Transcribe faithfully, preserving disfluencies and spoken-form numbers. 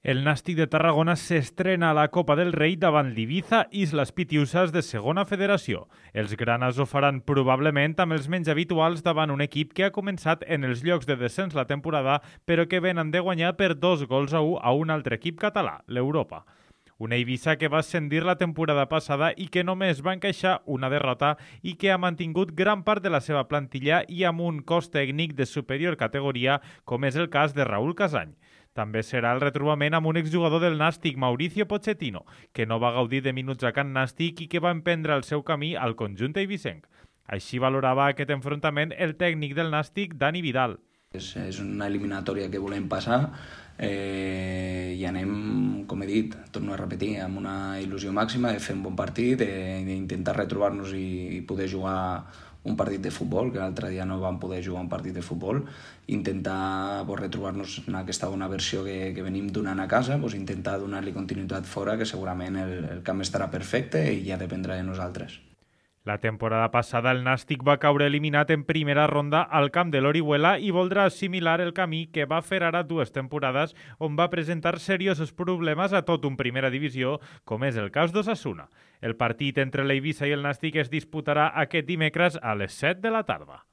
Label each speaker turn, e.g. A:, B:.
A: El Nàstic de Tarragona s'estrena a la Copa del Rei davant l'Ibiza Islas Pitiusas de segona federació. Els granas ho faran probablement amb els menys habituals davant un equip que ha començat en els llocs de descens la temporada, però que venen de guanyar per dos gols a un a un altre equip català, l'Europa. Una Eivissa que va ascendir la temporada passada i que només va encaixar una derrota i que ha mantingut gran part de la seva plantilla i amb un cos tècnic de superior categoria, com és el cas de Raúl Casany. També serà el retrobament amb un exjugador del Nàstic, Mauricio Pochettino, que no va gaudir de minuts a Can Nàstic i que va emprendre el seu camí al conjunt eivissenc. Així valorava aquest enfrontament el tècnic del Nàstic, Dani Vidal.
B: És, és una eliminatòria que volem passar eh, i anem, com he dit, torno a repetir, amb una il·lusió màxima de fer un bon partit, d'intentar retrobar-nos i, i poder jugar un partit de futbol, que l'altre dia no vam poder jugar un partit de futbol, intentar pues, retrobar-nos en aquesta bona versió que, que venim donant a casa, pues, intentar donar-li continuïtat fora, que segurament el, el camp estarà perfecte i ja dependrà de nosaltres.
A: La temporada passada el Nàstic va caure eliminat en primera ronda al camp de l'Orihuela i voldrà assimilar el camí que va fer ara dues temporades on va presentar seriosos problemes a tot un primera divisió, com és el cas d'Osasuna. El partit entre l'Eivissa i el Nàstic es disputarà aquest dimecres a les set de la tarda.